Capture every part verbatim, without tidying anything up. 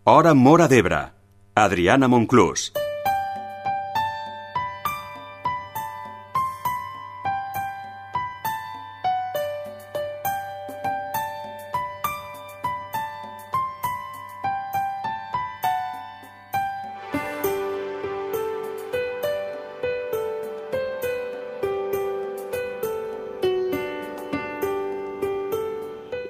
Hora Móra d'Ebre. Adriana Monclús.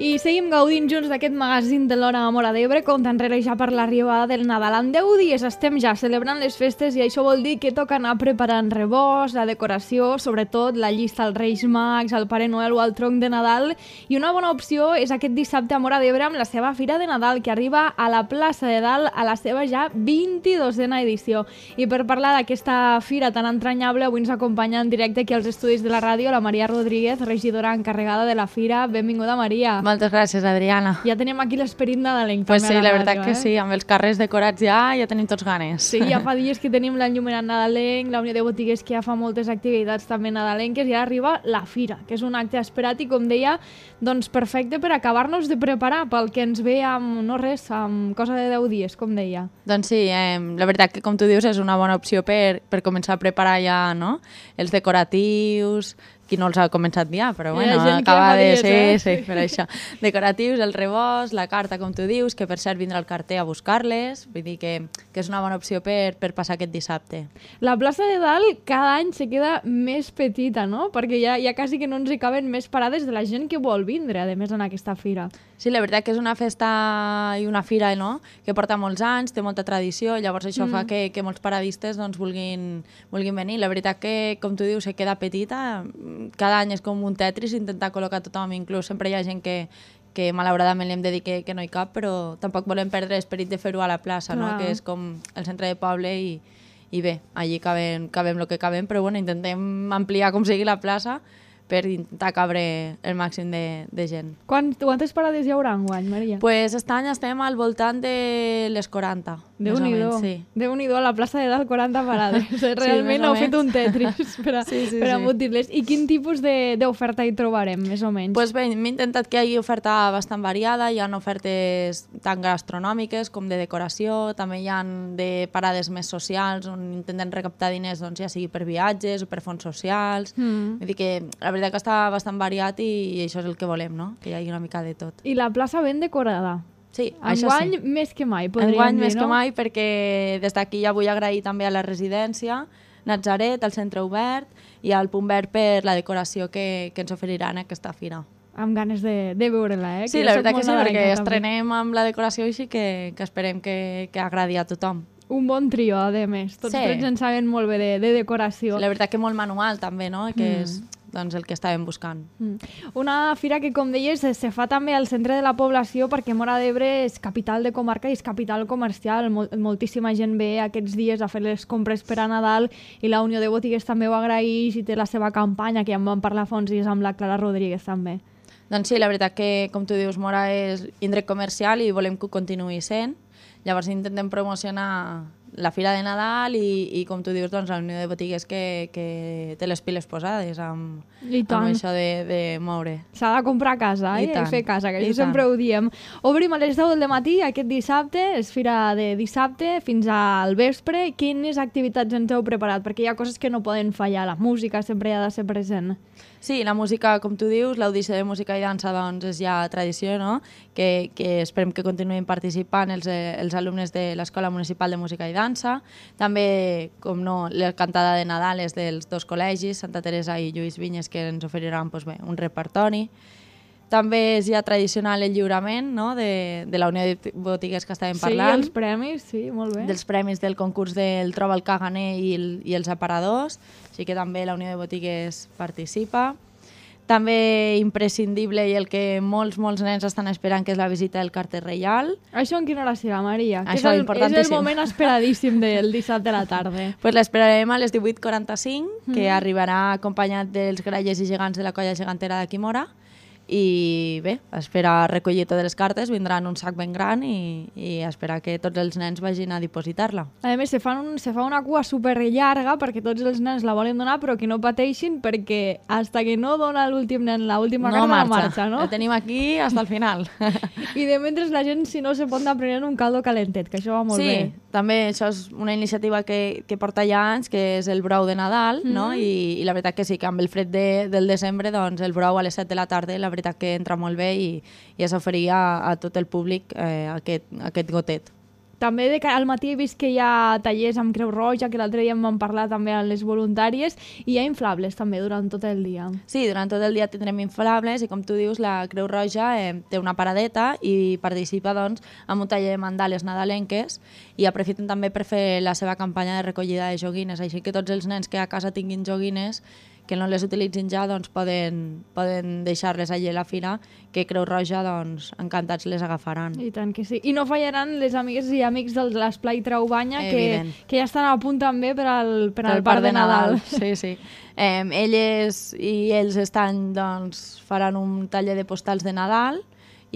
I seguim gaudint junts d'aquest magazín de l'Hora Móra d'Ebre, compte enrere ja per l'arribada del Nadal. En deu dies estem ja celebrant les festes i això vol dir que toca anar preparant rebost, la decoració, sobretot la llista als Reis Mags, al Pare Noel o al tronc de Nadal. I una bona opció és aquest dissabte a Móra d'Ebre amb la seva Fira de Nadal, que arriba a la plaça de Dalt a la seva ja vint-i-dosena edició. I per parlar d'aquesta fira tan entranyable, avui ens acompanya en directe aquí als estudis de la ràdio la Maria Rodríguez, regidora encarregada de la fira. Benvinguda, Maria. Moltes gràcies, Adriana. Ja tenim aquí l'esperit nadalenc. Pues també sí, a la, la veritat ràdio, que eh? sí, amb els carrers decorats ja, ja tenim tots ganes. Sí, ja fa dies que tenim l'enllumenat nadalenc, la Unió de Botiguers que ja fa moltes activitats també nadalenques i ara arriba la fira, que és un acte esperat i, com deia, doncs perfecte per acabar-nos de preparar pel que ens ve amb, no res, amb cosa de deu dies, com deia. Doncs sí, eh, la veritat que, com tu dius, és una bona opció per, per començar a preparar ja, no?, els decoratius, qui no els ha començat ja, però bueno, acaba de dies, ser, eh? sí, per això. Decoratius, el rebost, la carta, com tu dius, que per cert vindrà el carter a buscar-les, vull dir que, que és una bona opció per, per passar aquest dissabte. La plaça de Dalt cada any se queda més petita, no? Perquè ja, ja quasi que no ens hi caben més parades de la gent que vol vindre, a més, en aquesta fira. Sí, la veritat que és una festa i una fira, no?, que porta molts anys, té molta tradició, llavors això mm. fa que, que molts paradistes doncs, vulguin, vulguin venir. La veritat que, com tu dius, se queda petita, cada any és com un Tetris, intentar col·locar tothom, inclús sempre hi ha gent que, que malauradament li hem de dir que, que no hi cap, però tampoc volem perdre l'esperit de fer-ho a la plaça, no? Que és com el centre de poble i, i bé, allí cabem, cabem el que cabem, però bueno, intentem ampliar com sigui la plaça per intentar cabre el màxim de, de gent. Quant, quantes parades hi haurà enguany, Maria? Pues aquest any estem al voltant de les quaranta. Déu-n'hi-do, sí. Déu-n'hi-do, a la plaça de Dalt quaranta parades. Realment sí, heu fet un Tetris per, a, sí, sí, per sí. embotir-les. I quin tipus d'oferta hi trobarem, més o menys? Pues bé, hem intentat que hi hagi oferta bastant variada, hi ha ofertes tant gastronòmiques com de decoració, també hi ha de parades més socials on intentem recaptar diners, doncs, ja sigui per viatges o per fons socials. Mm. Vull dir que la veritat que està bastant variat i, i això és el que volem, no? Que hi hagi una mica de tot. I la plaça ben decorada. Sí, això enguany sí. més que mai, podríem enguany dir, més no? que mai, perquè des d'aquí ja vull agrair també a la residència, Natzaret, al centre obert i al Punt Verd per la decoració que, que ens oferiran a aquesta fira. Amb ganes de, de veure-la, eh? Sí, que la veritat que sí, perquè també. estrenem amb la decoració així que, que esperem que, que agradi a tothom. Un bon trio, a més. Tots sí. tres en saben molt bé de, de decoració. La veritat que molt manual també, no? Que mm. és doncs, el que estàvem buscant. Mm. Una fira que, com deies, se fa també al centre de la població perquè Móra d'Ebre és capital de comarca i és capital comercial. Mol moltíssima gent ve aquests dies a fer les compres per a Nadal i la Unió de Botiguers també ho agraeix i té la seva campanya, que ja en vam parlar fa uns dies amb la Clara Rodríguez també. Doncs sí, la veritat que, com tu dius, Móra és indret comercial i volem que ho continuï sent. Llavors intentem promocionar la Fira de Nadal i, i com tu dius, doncs, la Unió de Botigues que, que té les piles posades amb, amb això de, de moure. S'ha de comprar a casa eh? I, I fer casa, que això sempre ho diem. Obrim a les deu del matí aquest dissabte, és fira de dissabte fins al vespre. Quines activitats ens heu preparat? Perquè hi ha coses que no poden fallar, la música sempre ha de ser present. Sí, la música, com tu dius, l'audició de música i dansa doncs, és ja tradició, no? que, que esperem que continuïn participant els, els alumnes de l'Escola Municipal de Música i Dansa. També, com no, la cantada de Nadal és dels dos col·legis, Santa Teresa i Lluís Vinyes, que ens oferiran doncs, bé, un repertori. També és ja tradicional el lliurament, no? de, de la Unió de Botiguers que estàvem parlant. Sí, els premis, sí, molt bé. Dels premis del concurs del Troba el Caganer i, el, i els aparadors, així que també la Unió de Botiguers participa. També imprescindible i el que molts, molts nens estan esperant, que és la visita del carter reial. Això en quina hora serà, Maria? Això és el, importantíssim. És el moment esperadíssim del dissabte a la tarda. Pues l'esperarem a les divuit quaranta-cinc, que mm. arribarà acompanyat dels grallers i gegants de la colla gegantera d'aquí Móra, i bé, espera recollir totes les cartes, vindran un sac ben gran i, i espera que tots els nens vagin a dipositar-la. A més, se fa, un, se fa una cua super llarga perquè tots els nens la volen donar, però que no pateixin perquè hasta que no dona l'últim nen l'última no carta marxa. no marxa, no? La tenim aquí hasta el final. I de mentre la gent, si no, se pot anar prenent un caldo calentet, que això va molt sí, bé. Sí, també això és una iniciativa que, que porta ja anys, que és el brou de Nadal, mm -hmm. no? I, i la veritat que sí, que amb el fred de, del desembre, doncs el brou a les set de la tarda, la veritat que entra molt bé i, i es oferia a, a tot el públic eh, aquest, aquest gotet. També de cara al matí he vist que hi ha tallers amb Creu Roja, que l'altre dia em van parlar també a les voluntàries, i hi ha inflables també durant tot el dia. Sí, durant tot el dia tindrem inflables i com tu dius, la Creu Roja eh, té una paradeta i participa doncs en un taller de mandales nadalenques i aprofiten també per fer la seva campanya de recollida de joguines, així que tots els nens que a casa tinguin joguines que no les utilitzin ja, doncs poden, poden deixar-les allà a la fira, que Creu Roja, doncs, encantats les agafaran. I tant que sí. I no fallaran les amigues i amics de l'Esplai Traubanya, que, que ja estan a punt també per al, per al Parc de Nadal. Sí, sí. Eh, elles i ells estan, doncs, faran un taller de postals de Nadal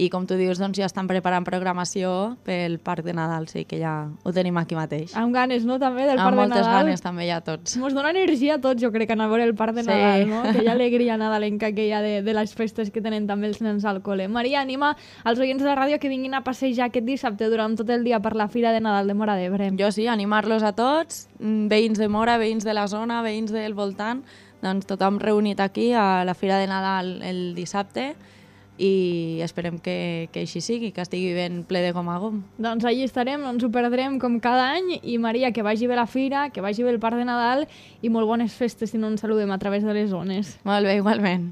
i, com tu dius, doncs ja estan preparant programació pel Parc de Nadal, sí, que ja ho tenim aquí mateix. Amb ganes, no?, també, del Parc de Nadal. Amb moltes ganes, també, ja tots. Ens dona energia a tots, jo crec, anar a veure el Parc de Nadal, sí. No? Que hi ha alegria nadalenca que hi ha de, de les festes que tenen també els nens al col·le. Maria, anima als oients de la ràdio que vinguin a passejar aquest dissabte durant tot el dia per la Fira de Nadal de Móra d'Ebre. Jo sí, animar-los a tots, veïns de Móra, veïns de la zona, veïns del voltant, doncs tothom reunit aquí a la Fira de Nadal el dissabte, i esperem que, que així sigui, que estigui ben ple de gom a gom. Doncs allí estarem, no ens ho perdrem com cada any, i Maria, que vagi bé la fira, que vagi bé el Parc de Nadal, i molt bones festes si no ens saludem a través de les zones. Molt bé, igualment.